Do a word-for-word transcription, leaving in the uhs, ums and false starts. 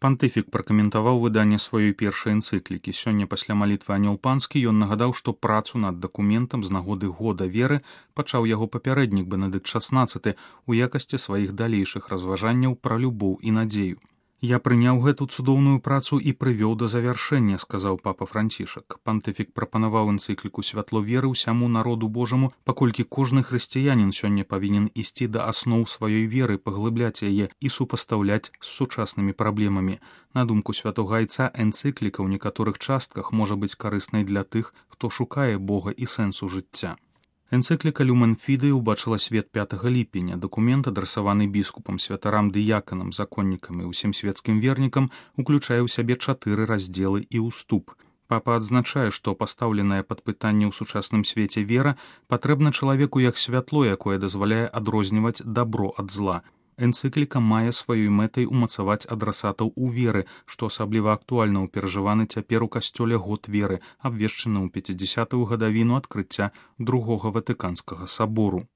Пантыфік пракаментаваў выданне сваёй першай энцыклікі. Сёння пасля малітвы анёл панскі ён нагадаў, што працу над дакументам з нагоды года веры пачаў яго папярэднік Бенедыкт шаснаццаты ў якасці сваіх далейшых разважанняў пра любоў і надзею. «Я прыняў гэту цудоўную працу і прывёў да завяршэння», сказаў папа Францішак. Пантыфік прапанаваў энцыкліку «Святло веры» ўсяму народу Божаму, паколькі кожны хрысціянін сёння павінен ісці да асноў сваёй веры, паглыбляць яе і супастаўляць з сучаснымі праблемамі. На думку святога айца, энцыкліка ў некаторых частках можа быць карыснай для тых, хто шукае Бога і сэнсу жыцця. Энцыкліка «Люмен Фідэй» убачыла свет пятага ліпеня. Дакумент, адрасаваны біскупам, святарам, дыяканам, законнікам і ўсім свецкім вернікам, уключае ў сябе чатыры раздзелы і ўступ. Папа адзначае, што пастаўленая пад пытанне ў сучасным свеце вера патрэбна чалавеку як святло, якое дазваляе адрозніваць дабро ад зла. Энцыкліка мае сваёй мэтай умацаваць адрасатаў у веры, што асабліва актуальна ў перажываны цяпер у касцёле год веры, абвешчаны ў пяцідзясятую гадавіну адкрыцця другога ватыканскага сабору.